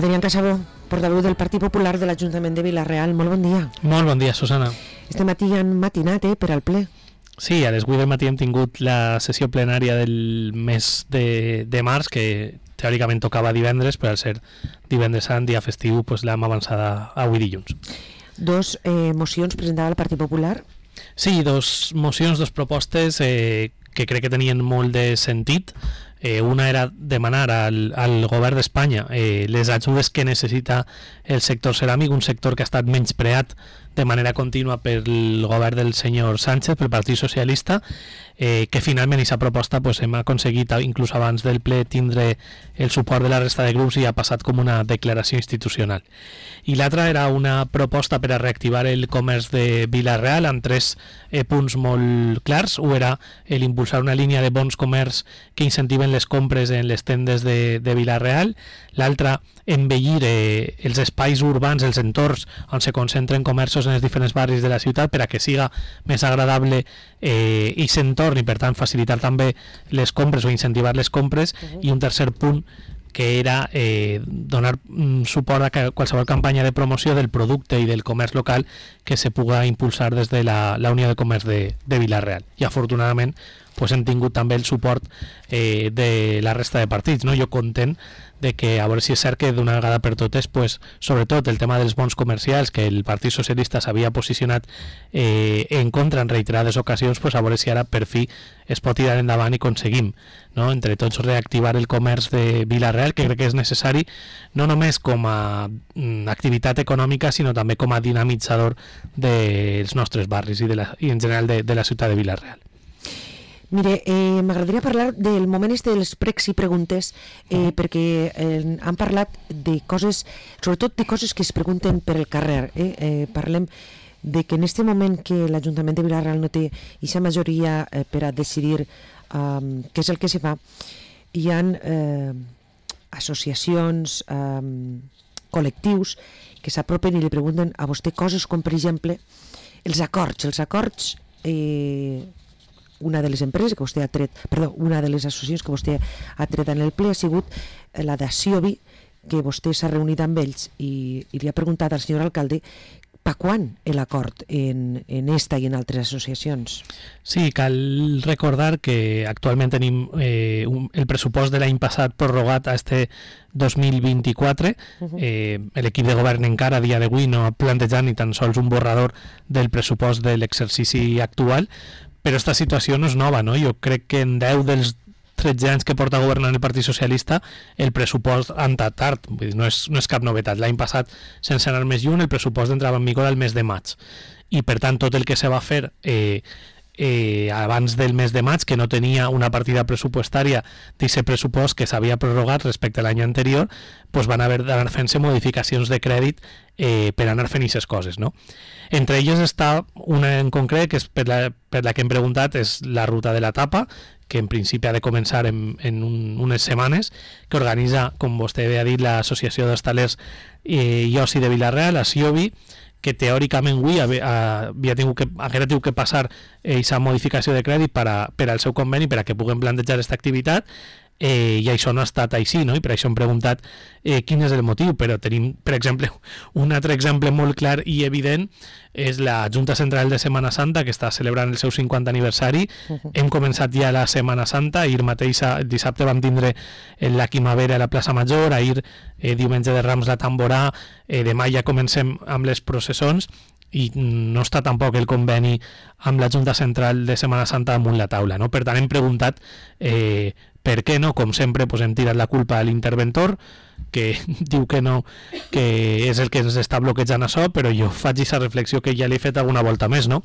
Adrián Casabó, portaveu del Partit Popular de l'Ajuntament de Vila-real. Molt bon dia. Molt bon dia, Susana. Este matí han matinat per al ple. Sí, a les 8 del matí hem tingut la sessió plenària del mes de març, que teòricament tocava divendres, però al ser divendres sant, dia festiu, doncs l'hem avançada avui dilluns. Dos mocions presentava el Partit Popular. Sí, dos mocions, dos propostes que crec que tenien molt de sentit. Una era demanar al govern d'Espanya les ajudes que necessita el sector ceràmic, un sector que ha estat menyspreat de manera contínua pel govern del senyor Sánchez, pel Partit Socialista, que finalment aquesta proposta pues, hem aconseguit, inclús abans del ple, tindre el suport de la resta de grups i ha passat com una declaració institucional. I l'altra era una proposta per a reactivar el comerç de Vila-real amb tres punts molt clars. Un era l'impulsar una línia de bons comerç que incentiven les compres en les tendes de Vila-real. L'altre, embellir els espais urbans, els entorns on se concentren comerços en els diferents barris de la ciutat per a que siga més agradable i s'entorn i per tant facilitar també les compres o incentivar les compres. I un tercer punt que era donar suport a qualsevol campanya de promoció del producte i del comerç local que se puga impulsar des de la Unió de Comerç de Vila-real. I afortunadament pues, hem tingut també el suport de la resta de partits. No? Jo content de que, a veure si és cert que d'una vegada per totes, pues, sobretot el tema dels bons comercials, que el Partit Socialista s'havia posicionat en contra en reiterades ocasions, pues, a veure si ara per fi es pot tirar endavant i aconseguim, no? Entre tots reactivar el comerç de Vila-real, que crec que és necessari no només com a activitat econòmica, sinó també com a dinamitzador dels nostres barris i en general de la ciutat de Vila-real. Mire, m'agradaria parlar del moment dels pregs i preguntes, perquè han parlat de coses, sobretot de coses que es pregunten per el carrer. Parlem de que en aquest moment que l'Ajuntament de Vila-real no té aquesta majoria per a decidir què és el que se fa, hi ha associacions, col·lectius que s'apropen i li pregunten a vostè coses com, per exemple, els acords. Una de les empreses que vostè ha tret, una de les associacions que vostè ha tret en el ple ha sigut la de Siobi, que vostè s'ha reunit amb ells i li ha preguntat al senyor alcalde per quan l'acord en esta i en altres associacions. Sí, cal recordar que actualment tenim el pressupost de l'any passat prorrogat a este 2024. L'equip de govern encara a dia d'avui no ha plantejat ni tan sols un borrador del pressupost de l'exercici actual, però aquesta situació no és nova, no? Jo crec que en 10 dels 13 anys que porta governant el Partit Socialista el pressupost ha entrat tard, vull dir, no és cap novetat. L'any passat, sense anar més lluny, el pressupost entrava en vigor al mes de maig i per tant tot el que se va fer abans del mes de maig, que no tenia una partida pressupostària d'aquest pressupost que s'havia prorrogat respecte a l'any anterior, doncs van haver d'anar fent-se modificacions de crèdit per anar fent aquestes coses, no? Entre elles està una en concret, que és per la que hem preguntat, és la ruta de la tapa, que en principi ha de començar en unes setmanes, que organitza, com vostè ha dit, l'Associació d'Hostalers i Oci de Vila-real, la Siobi, que teòricament avui haguera tingut que passar aquesta modificació de crèdit per al seu conveni per a que puguem plantejar aquesta activitat, i això no ha estat així, no? I per això hem preguntat quin és el motiu, però tenim, per exemple, un altre exemple molt clar i evident és la Junta Central de Setmana Santa, que està celebrant el seu 50 aniversari. Hem començat ja la Setmana Santa, ahir mateix, el dissabte vam tindre la Quimavera a la plaça Major, ahir diumenge de Rams la Tamborà, demà ja comencem amb les processons i no està tampoc el conveni amb la Junta Central de Setmana Santa damunt la taula, no? Per tant hem preguntat per què no, com sempre hem tirat la culpa a l'interventor, que diu que no, que és el que ens està bloquejant això, però jo faig aquesta reflexió que ja l'he fet alguna volta més, no?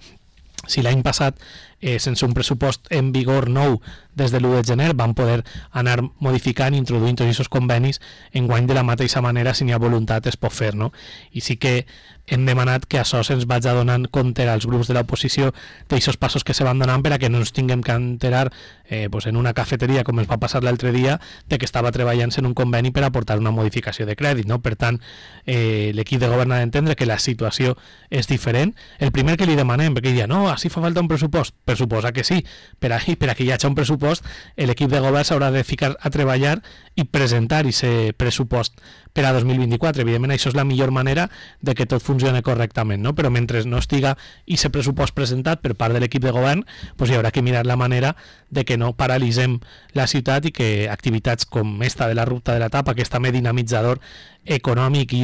Si l'any passat, sense un pressupost en vigor nou des de l'1 de gener, van poder anar modificant i introduint tots aquests convenis, enguany de la mateixa manera, si n'hi ha voluntat, es pot fer, no? I sí que hem demanat que això se'ns vagi donant compte als grups de l'oposició d'aixòs passos que se van donant per a que no ens tinguem que enterar en una cafeteria, com ens va passar l'altre dia, de que estava treballant-se en un conveni per aportar una modificació de crèdit, no? Per tant, l'equip de govern ha d'entendre que la situació és diferent. El primer que li demanem, perquè diria, no, així fa falta un pressupost, per suposar que sí, per a que hi hagi un pressupost, l'equip de govern s'haurà de ficar a treballar i presentar aquest pressupost per a 2024. Evidentment, això és la millor manera de que tot funcioni correctament, no? Però mentre no estiga aquest pressupost presentat per part de l'equip de govern, doncs hi haurà que mirar la manera de que no paralitzem la ciutat i que activitats com esta de la ruta de la tapa, que és també dinamitzador econòmic i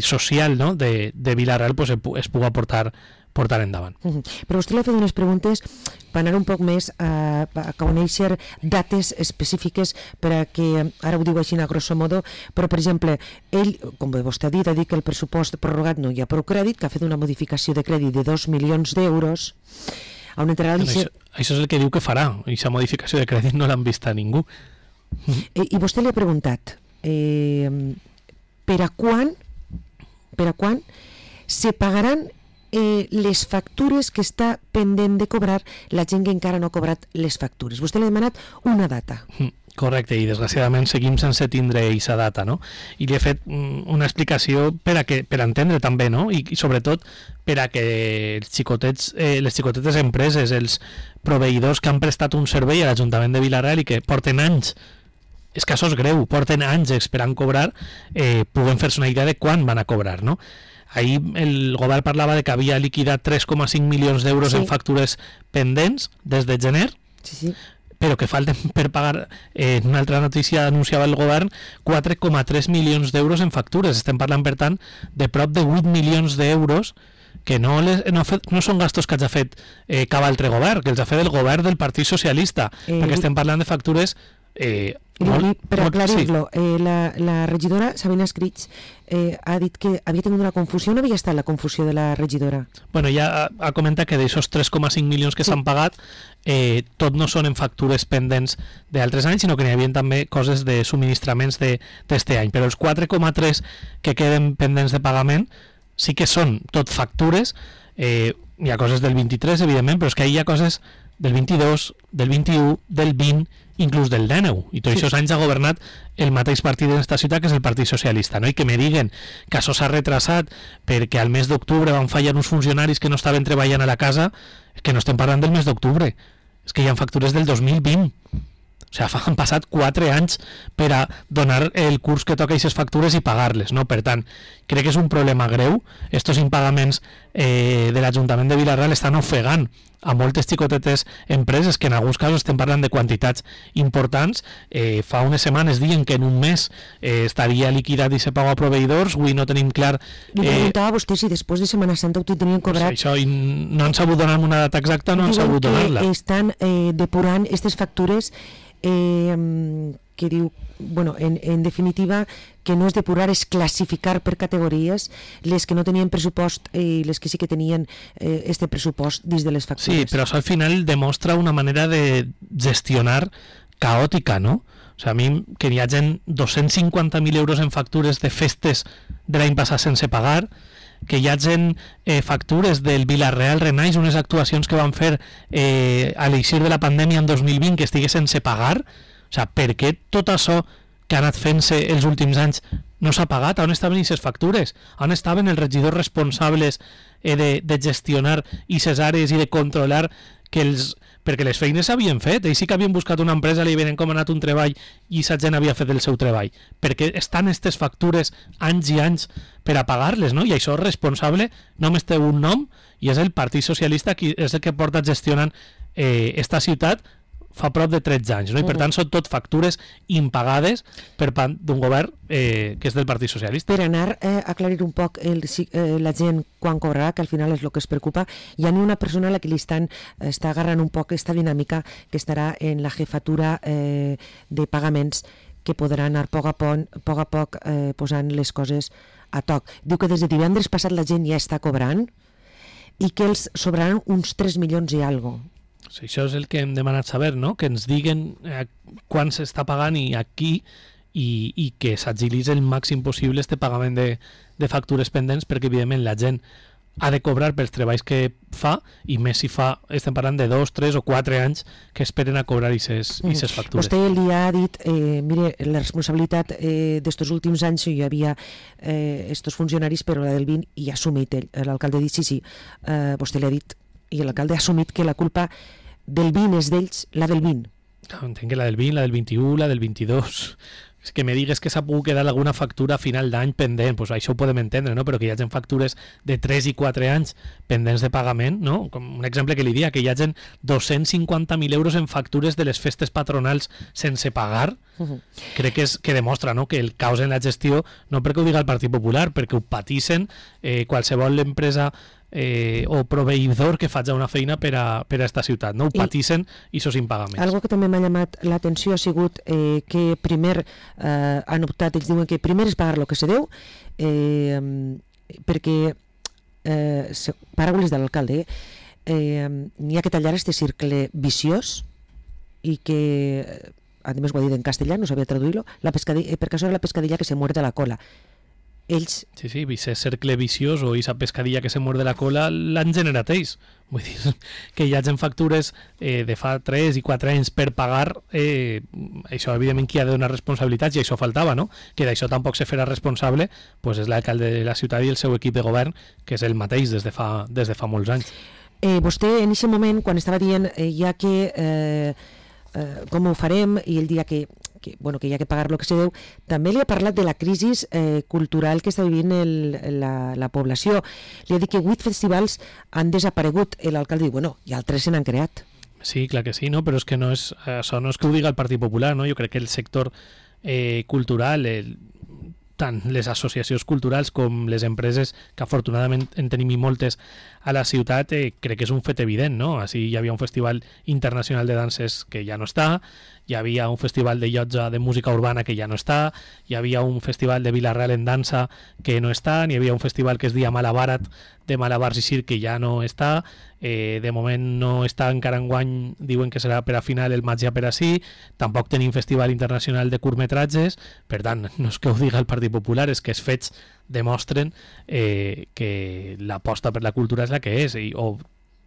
social, no? de Vila-real, pues, es pugui portar endavant. Però vostè li ha fet unes preguntes per anar un poc més a conèixer dates específiques per a que, ara ho diu així a grosso modo, però per exemple, ell, com vostè ha dit que el pressupost prorrogat no hi ha prou crèdit, que ha fet una modificació de crèdit de 2 milions d'euros, on entrarà això és el que diu que farà, i aquesta modificació de crèdit no l'han vist a ningú. I vostè li ha preguntat per a quan se pagaran les factures que està pendent de cobrar la gent que encara no ha cobrat les factures. Vostè li ha demanat una data. Correcte, i desgraciadament seguim sense tindre aquesta data, no? I li he fet una explicació per a entendre també, no? I sobretot per a que els les xicotetes empreses, els proveïdors que han prestat un servei a l'Ajuntament de Vila-real i que porten anys, és que això és greu, porten anys esperant cobrar, puguen fer-se una idea de quan van a cobrar, no? Ahir el govern parlava de que havia liquidat 3,5 milions d'euros en factures pendents des de gener, però que falten per pagar, en una altra notícia anunciava el govern, 4,3 milions d'euros en factures. Estem parlant, per tant, de prop de 8 milions d'euros que no són gastos que hagi fet cap altre govern, que els ha fet el govern del Partit Socialista, perquè estem parlant de factures... per aclarir-lo, la regidora Sabina Escrits ha dit que havia tingut una confusió. On havia estat la confusió de la regidora? Bueno, ja ha comentat que d'aixòs 3,5 milions que s'han pagat, tot no són en factures pendents d'altres anys, sinó que n'hi havia també coses de subministraments d'este any, però els 4,3 que queden pendents de pagament sí que són tot factures. Hi ha coses del 23, evidentment, però és que hi ha coses del 22, del 21, del 20, inclús del 19, i tots aquests anys ha governat el mateix partit en esta ciutat, que és el Partit Socialista, no? I que me diguen que això s'ha retrasat perquè al mes d'octubre van fallar uns funcionaris que no estaven treballant a la casa, que no estem parlant del mes d'octubre, és que hi ha factures del 2020. O sigui, han passat 4 anys per a donar el curs que toca aquestes factures i pagar-les, no? Per tant, crec que és un problema greu. Estos impagaments de l'Ajuntament de Vila-real estan ofegant a moltes xicotetes empreses, que en alguns casos estem parlant de quantitats importants. Fa unes setmanes diuen que en un mes estaria liquidat i se paga a proveïdors. Avui no tenim clar... Li preguntava a vostè si després de Setmana Santa ho tenien cobrat. Pues això, i no han sabut donar una data exacta, no han sabut donar-la. Estan depurant aquestes factures que diu, bueno, en definitiva, que no és depurar, és classificar per categories les que no tenien pressupost i les que sí que tenien este pressupost dins de les factures. Sí, però això al final demostra una manera de gestionar caòtica, no? O sigui, a mi que hi hagi 250.000 euros en factures de festes de l'any passat sense pagar, que hi hagi factures del Vila-real Renaix, unes actuacions que van fer a l'eixir de la pandèmia en 2020 que estigués sense pagar. O sigui, per què tot això que ha anat fent-se els últims anys no s'ha pagat? On estaven aquestes factures? On estaven els regidors responsables de gestionar aquestes àrees i de controlar que perquè les feines s'havien fet, ells sí que havien buscat una empresa, li havien encomanat un treball i aquesta gent havia fet el seu treball, perquè estan aquestes factures anys i anys per a pagar-les, no? I això és responsable, només té un nom, i és el Partit Socialista, qui és el que porta gestionant esta ciutat fa prop de 13 anys, no? I per tant són tot factures impagades per part d'un govern que és del Partit Socialista. Per anar a aclarir un poc la gent quan cobrarà, que al final és el que es preocupa, hi ha una persona a la que li està agarrant un poc aquesta dinàmica, que estarà en la jefatura de pagaments, que podrà anar a poc a poc posant les coses a toc. Diu que des de divendres passat la gent ja està cobrant i que els sobraran uns 3 milions i alguna cosa. Sí, això és el que hem demanat saber, no? Que ens diguen quan s'està pagant i a qui, i que s'agilitzi el màxim possible este pagament de factures pendents, perquè evidentment la gent ha de cobrar pels treballs que fa, i més si fa, estem parlant de 2, 3 o 4 anys que esperen a cobrar aquestes factures. Vostè el dia ha dit, mire, la responsabilitat d'estos últims anys hi havia estos funcionaris, però la del BIN, i ha assumit ell, l'alcalde ha dit sí, vostè li ha dit, i l'alcalde ha assumit que la culpa del BIN és d'ells, la del BIN. Entenc que la del 20, la del 21, la del 22... És que me digues que s'ha pogut quedar alguna factura a final d'any pendent, doncs això ho podem entendre, no? Però que hi hagi factures de 3 i 4 anys pendents de pagament, no? Com un exemple que li dia, que hi hagi 250.000 euros en factures de les festes patronals sense pagar, crec que demostra, no?, que el caos en la gestió, no perquè ho diga el Partit Popular, perquè ho patissen qualsevol empresa o proveïdor que faci una feina per a esta ciutat, no? Ho patissen i sos impagaments. Algo que també m'ha llamat l'atenció ha sigut que primer han optat, ells diuen que primer és pagar el que se deu, perquè paraules de l'alcalde, n'hi ha que tallar este cercle viciós, i que a més ho ha dit en castellà, no sabia traduir-lo, perquè això era la pescadilla que se muerde la cola. Ells... Sí, ese cercle viciós o esa pescadilla que se muerde la cola l'han generat ells. Vull dir, que hi hagin factures de fa 3 i 4 anys per pagar, això evidentment qui ha de donar responsabilitats, i això faltava, no? Que d'això tampoc se farà responsable, doncs és l'alcalde de la ciutat i el seu equip de govern, que és el mateix des de fa molts anys. Vostè en aquest moment, quan estava dient ja que com ho farem, i el dia que hi ha que pagar el que se deu, també li ha parlat de la crisi cultural que està vivint la població. Li ha dit que 8 festivals han desaparegut. L'alcalde diu, i altres se n'han creat. Sí, clar que sí, no? Però és que això no és que ho diga el Partit Popular, no? Jo crec que el sector cultural, tant les associacions culturals com les empreses, que afortunadament en tenim i moltes a la ciutat, crec que és un fet evident, no? Així hi havia un festival internacional de danses que ja no està, hi havia un festival de llotja de música urbana que ja no està, hi havia un festival de Vila-real en dansa que no està, hi havia un festival que es deia Malabarat, de malabars i circ, que ja no està, de moment no està encara enguany, diuen que serà per a final el maig ja per ací, tampoc tenim festival internacional de curtmetratges, per tant, no és que ho diga el Partit Popular, és que els fets demostren que l'aposta per la cultura és la que és, o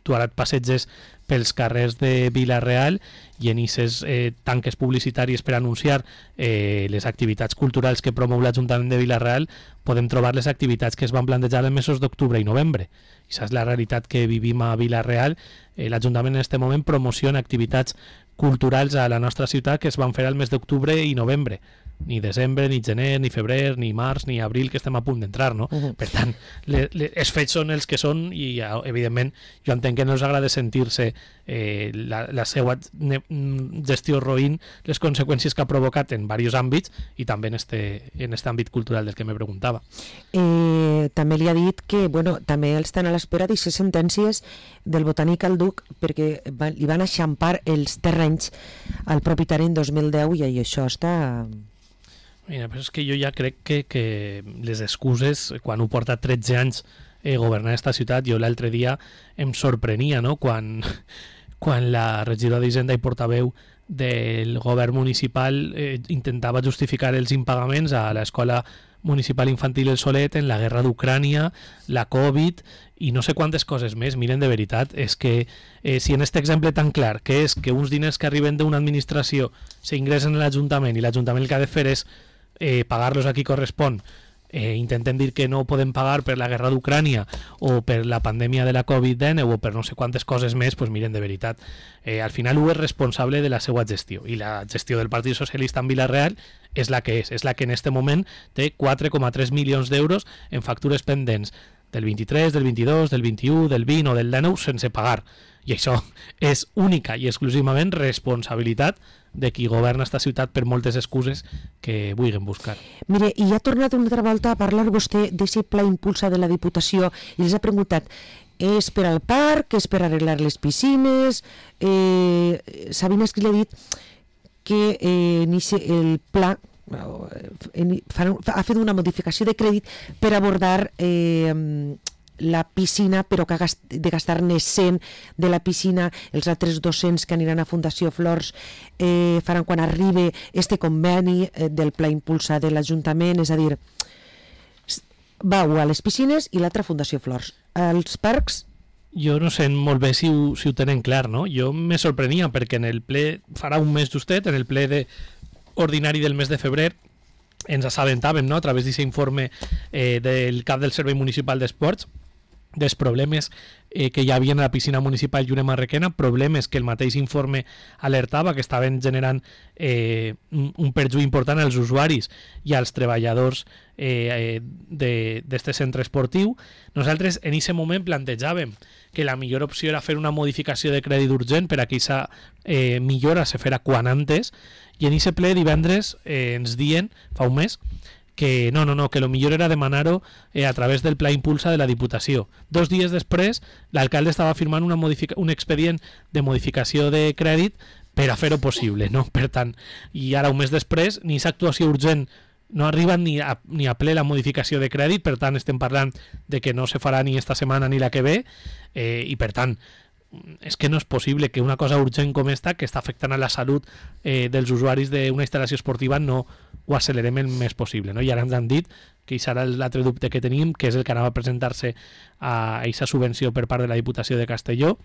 tu ara et passeges pels carrers de Vila-real i en aquestes tanques publicitàries per anunciar les activitats culturals que promou l'Ajuntament de Vila-real, podem trobar les activitats que es van plantejar en mesos d'octubre i novembre. I això és la realitat que vivim a Vila-real. L'Ajuntament en aquest moment promociona activitats culturals a la nostra ciutat que es van fer al mes d'octubre i novembre. Ni desembre, ni gener, ni febrer, ni març, ni abril, que estem a punt d'entrar, no? Per tant, els fets són els que són i, evidentment, jo entenc que no els agrada sentir-se la seva gestió roïn, les conseqüències que ha provocat en diversos àmbits i també en este àmbit cultural del que me preguntava. També li ha dit que, també estan a l'espera d'aquestes sentències del Botànic al Duc, perquè li van eixampar els terrenys al propietari en 2010 i això està... Mira, però és que jo ja crec que les excuses, quan ho porta 13 anys governar aquesta ciutat, jo l'altre dia em sorprenia, no?, quan la regidora d'Hisenda i portaveu del govern municipal intentava justificar els impagaments a l'escola municipal infantil El Solet en la guerra d'Ucrània, la Covid i no sé quantes coses més. Miren, de veritat, és que si en aquest exemple tan clar, que és que uns diners que arriben d'una administració s'ingressen a l'Ajuntament i l'Ajuntament el que ha de fer és pagar-los a qui correspon, intentem dir que no podem pagar per la guerra d'Ucrània o per la pandèmia de la Covid-19 o per no sé quantes coses més, doncs miren, de veritat, al final ho és responsable de la seva gestió, i la gestió del Partit Socialista en Vila-real és la que és la que en este moment té 4,3 milions d'euros en factures pendents del 23, del 22, del 21, del 20 o del 19 sense pagar, i això és única i exclusivament responsabilitat de qui governa esta ciutat, per moltes excuses que vulguin buscar. Mire, i ha tornat una altra volta a parlar vostè d'aquest pla impulsa de la Diputació i els ha preguntat, és per al parc, és per arreglar les piscines? Sabina Esquil ha dit que el pla ha fet una modificació de crèdit per abordar la piscina, però que de gastar-ne 100 de la piscina, els altres 200 que aniran a Fundació Flors faran quan arribi este conveni del Pla Impulsa de l'Ajuntament, és a dir, vau a les piscines i l'altra Fundació Flors. Els parcs... Jo no sé molt bé si ho tenen clar, no? Jo me sorprenia perquè en el ple, farà un mes justet, en el ple ordinari del mes de febrer, ens assabentàvem, no?, a través d'aquest informe del cap del Servei Municipal d'Esports, dels problemes que hi havia a la piscina municipal Lluna Marrequena, problemes que el mateix informe alertava que estaven generant un perjuí important als usuaris i als treballadors d'este centre esportiu. Nosaltres en aquest moment plantejàvem que la millor opció era fer una modificació de crèdit urgent per a que aquesta millora se fera quan antes, i en aquest ple divendres ens diuen, fa un mes, que no, que lo millor era demanar-ho a través del Pla Impulsa de la Diputació. 2 dies després, l'alcalde estava firmant un expedient de modificació de crèdit per a fer-ho possible, no? Per tant, i ara un mes després, ni aquesta actuació urgent no arriba ni a ple la modificació de crèdit, per tant estem parlant de que no se farà ni esta setmana ni la que ve, i per tant és que no és possible que una cosa urgent com esta, que està afectant a la salut dels usuaris d'una instal·lació esportiva, no ho accelerem el més possible, no? I ara ens han dit que això serà l'altre dubte que tenim, que és el que anava a presentar-se a aquesta subvenció per part de la Diputació de Castelló.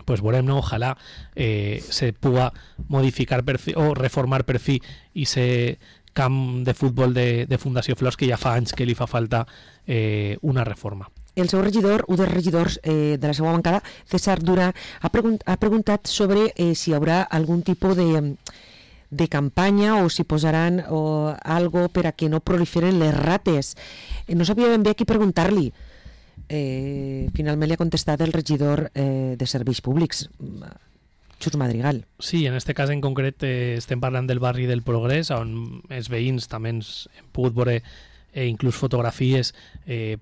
Pues veurem, no? Ojalà se puga modificar o reformar per fi i se camp de futbol de Fundació Flors, que ja fa anys que li fa falta una reforma. El seu regidor, un dels regidors de la seva bancada, César Durà, ha preguntat sobre si hi haurà algun tipus de campanya o si posaran algo per a que no proliferen les rates. No sabia ben bé a qui preguntar-li. Finalment li ha contestat el regidor de Serveis Públics, Xus Madrigal. Sí, en este cas en concret estem parlant del barri del Progrés, on els veïns també ens hem pogut veure inclús fotografies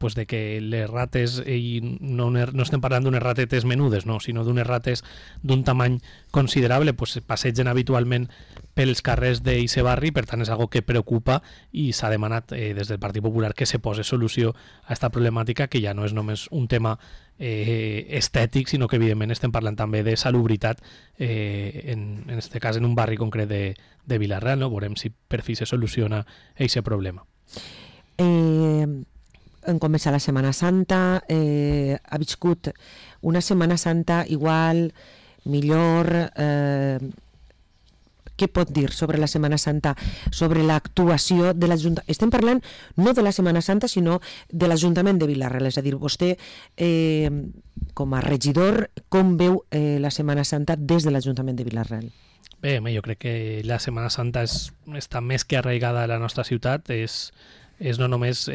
pues de que les rates, i no estem parlant d'unes ratetes menudes, no, sinó d'unes rates d'un tamany considerable, pues passegen habitualment pels carrers d'eixe barri, per tant és algo que preocupa i s'ha demanat des del Partit Popular que se posi solució a aquesta problemàtica, que ja no és només un tema estètic, sinó que evidentment estem parlant també de salubritat, en este cas en un barri concret de Vila-real, no? Veurem si per fi se soluciona aquest problema. En començar la Setmana Santa, ha viscut una Setmana Santa igual, millor. Què pot dir sobre la Setmana Santa, sobre l'actuació de l'Ajuntament? Estem parlant no de la Setmana Santa, sinó de l'Ajuntament de Vila-real, és a dir, vostè com a regidor, com veu la Setmana Santa des de l'Ajuntament de Vila-real? Bé, jo crec que la Setmana Santa està més que arraigada a la nostra ciutat, és no només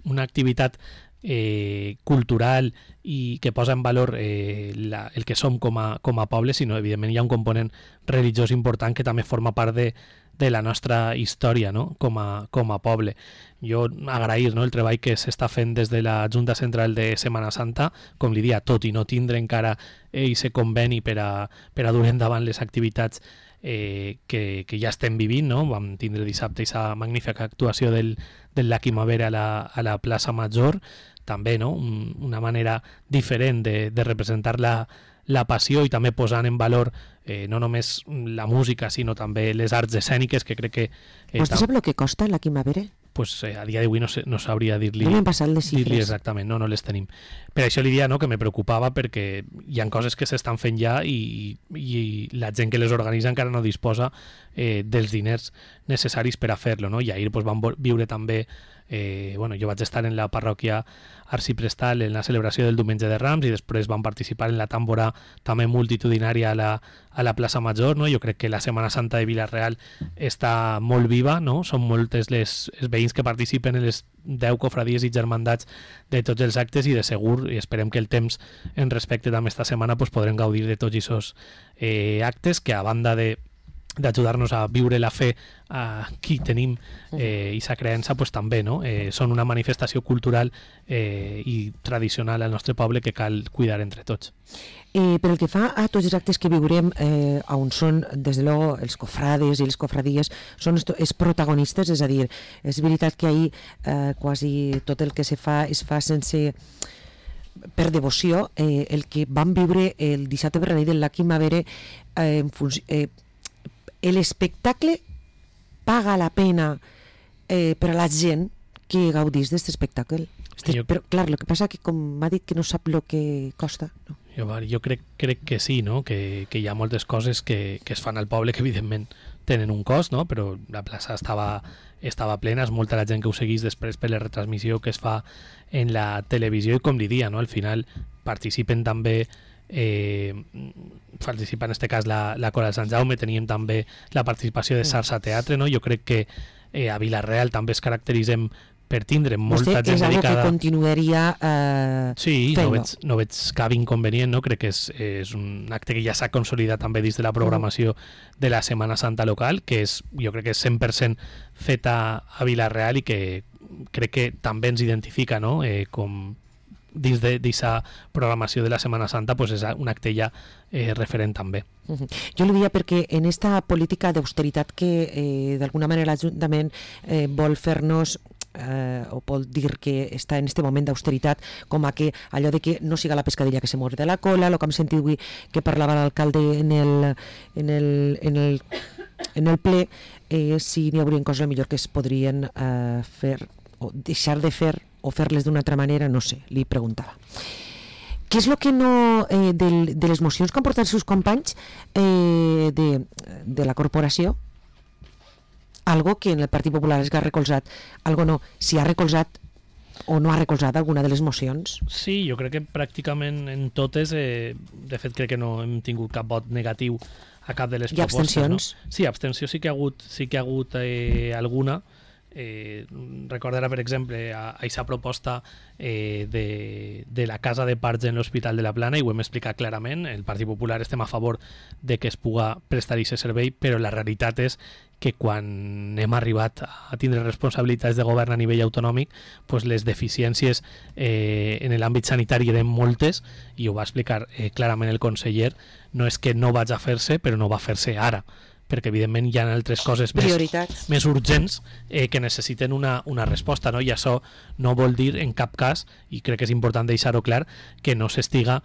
una activitat cultural i que posa en valor el que som com a poble, sinó evidentment hi ha un component religiós important que també forma part de la nostra història, no? com a poble. Jo agrair, no, el treball que s'està fent des de la Junta Central de Setmana Santa, com li dia, tot i no tindre encara aquest conveni per a dur endavant les activitats que ja estem vivint, no? Vam tindre dissabte aquesta magnífica actuació del Lucky Mavera a la plaça Major, també, no? Una manera diferent de representar la passió i també posant en valor no només la música, sinó també les arts escèniques, que crec que... Vostè sap el que costa la Quimavera? Pues a dia d'avui no sabria dir-li... No m'han passat les xifres. Exactament, no les tenim. Per això li dia, no, que me preocupava, perquè hi ha coses que s'estan fent ja i la gent que les organitza encara no disposa dels diners necessaris per a fer-lo, no? I ahir pues, vam viure també... jo vaig estar en la parròquia arciprestal en la celebració del Diumenge de Rams i després vam participar en la tàmbora també multitudinària a la plaça Major, no? Jo crec que la Setmana Santa de Vila-real està molt viva, no? Són moltes els veïns que participen en les 10 cofradies i germandats de tots els actes i de segur, i esperem que el temps en respecte també esta setmana pues, podrem gaudir de tots aquests actes que a banda de d'ajudar-nos a viure la fe a qui tenim i sa creença, pues, també, no? Són una manifestació cultural i tradicional al nostre poble que cal cuidar entre tots. Pel que fa a tots els actes que viurem, on són, des de luego, els cofrades i les cofradies, són els protagonistes, és a dir, és veritat que ahir quasi tot el que es fa sense per devoció. El que vam viure el dissabte per la nit del Lucky Mavere, l'espectacle paga la pena per a la gent que gaudís d'aquest espectacle. Però, clar, el que passa que, com m'ha dit, que no sap el que costa. No? Jo crec que sí, no? Que hi ha moltes coses que es fan al poble que, evidentment, tenen un cost, no? Però la plaça estava plena, és molta la gent que ho seguís després per la retransmissió que es fa en la televisió, i com li dia, no? Al final participen també participa en este cas la Coral Sant Jaume, teníem també la participació de Sarsa Teatre, no? Jo crec que a Vila-real també es caracteritzem per tindre molta gent dedicada. És algo que continuaria sí, no veig cap inconvenient, no? Crec que és un acte que ja s'ha consolidat també dins de la programació de la Setmana Santa local, que jo crec que és 100% feta a Vila-real i que crec que també ens identifica, no? Com dins d'aquesta programació de la Setmana Santa, pues és un acte ja referent també. Jo li deia perquè en esta política d'austeritat que d'alguna manera l'Ajuntament vol fer-nos o vol dir que està en este moment d'austeritat, com a que allò de que no siga la pescadilla que se morde la cola, el que hem sentit avui que parlava l'alcalde en el ple, si n'hi haurien coses millor que es podrien fer o deixar de fer o fer-les d'una altra manera, no sé, li preguntava. Què és el que no, de les mocions que han portat els seus companys de la corporació? Algo que en el Partit Popular es ha recolzat, algo no, si ha recolzat o no ha recolzat alguna de les mocions? Sí, jo crec que pràcticament en totes, de fet crec que no hem tingut cap vot negatiu a cap de les propostes. I abstencions? No? Sí, abstenció sí que ha hagut alguna. Recordarà, per exemple, a aquesta proposta de la casa de parts en l'Hospital de la Plana, i ho hem explicat clarament. El Partit Popular estem a favor de que es puga prestar aquest servei, però la realitat és que quan hem arribat a tindre responsabilitats de govern a nivell autonòmic, pues les deficiències en l'àmbit sanitari eren moltes, i ho va explicar clarament el conseller. No és que no vaig a fer-se, però no va fer-se ara, perquè evidentment hi ha altres coses més urgents que necessiten una resposta, no? I això no vol dir en cap cas, i crec que és important deixar-ho clar, que no s'estiga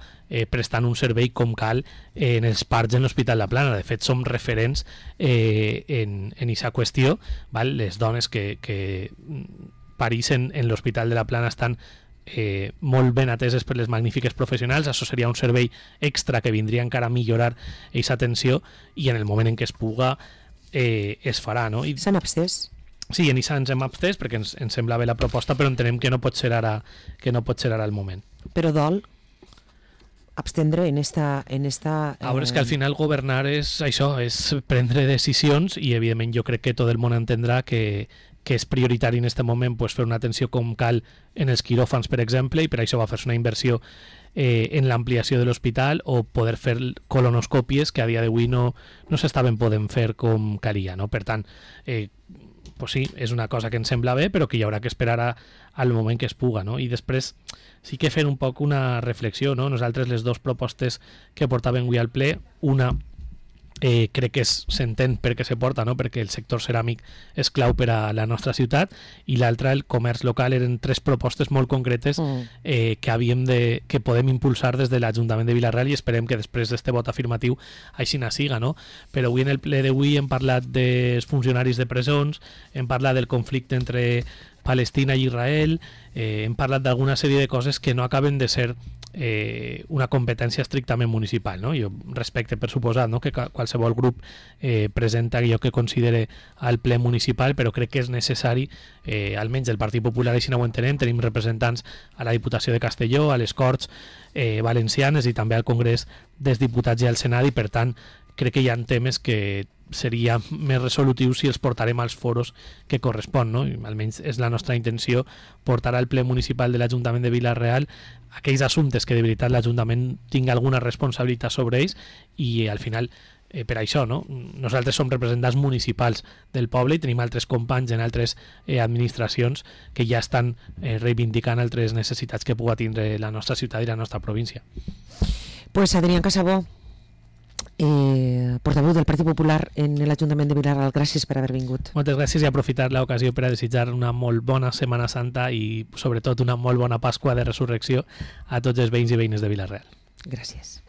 prestant un servei com cal en els parts en l'Hospital de la Plana. De fet, som referents en aquesta qüestió, val? Les dones que parixen en l'Hospital de la Plana estan molt ben ateses per les magnífiques professionals. Això seria un servei extra que vindria encara a millorar aquesta atenció, i en el moment en què es puga es farà, no? S'han abstès? Sí, en això ens hem abstès perquè ens sembla bé la proposta, però entenem que no pot ser ara el moment. Però dol abstendre en esta... A veure, és que al final governar és això, és prendre decisions, i evidentment jo crec que tot el món entendrà que és prioritari en aquest moment, pues, fer una atenció com cal en els quiròfans, per exemple, i per això va fer-se una inversió en l'ampliació de l'hospital, o poder fer colonoscòpies que a dia d'avui no s'estaven podent fer com calia, no? Per tant, pues sí, és una cosa que ens sembla bé, però que hi haurà que esperar al moment que es puga, no? I després sí que fer un poc una reflexió, no? Nosaltres les dues propostes que portàvem avui al ple, una crec que s'entén per què se porta, no? Perquè el sector ceràmic és clau per a la nostra ciutat, i l'altra, el comerç local. Eren tres propostes molt concretes que podem impulsar des de l'Ajuntament de Vila-real, i esperem que després d'este vot afirmatiu així na siga, no? Però avui en el ple d'avui hem parlat dels funcionaris de presons, hem parlat del conflicte entre Palestina i Israel, hem parlat d'alguna sèrie de coses que no acaben de ser una competència estrictament municipal, no? Jo respecte, per suposat, no? Que qualsevol grup presenta allò que considere al ple municipal, però crec que és necessari, almenys el Partit Popular així no ho entenem. Tenim representants a la Diputació de Castelló, a les Corts Valencianes i també al Congrés dels Diputats i al Senat, i per tant crec que hi ha temes que seria més resolutiu si els portarem als foros que correspon, no? I almenys és la nostra intenció portar al ple municipal de l'Ajuntament de Vila-real aquells assumptes que de veritat l'Ajuntament tingui alguna responsabilitat sobre ells, i al final per això, no? Nosaltres som representants municipals del poble i tenim altres companys en altres administracions que ja estan reivindicant altres necessitats que pugui tindre la nostra ciutat i la nostra província. Pues Adrián Casabó, portaveu del Partit Popular en l'Ajuntament de Vila-real, gràcies per haver vingut. Moltes gràcies i aprofitar l'ocasió per a desitjar una molt bona Setmana Santa i sobretot una molt bona Pasqua de Resurrecció a tots els veïns i veïnes de Vila-real. Gràcies.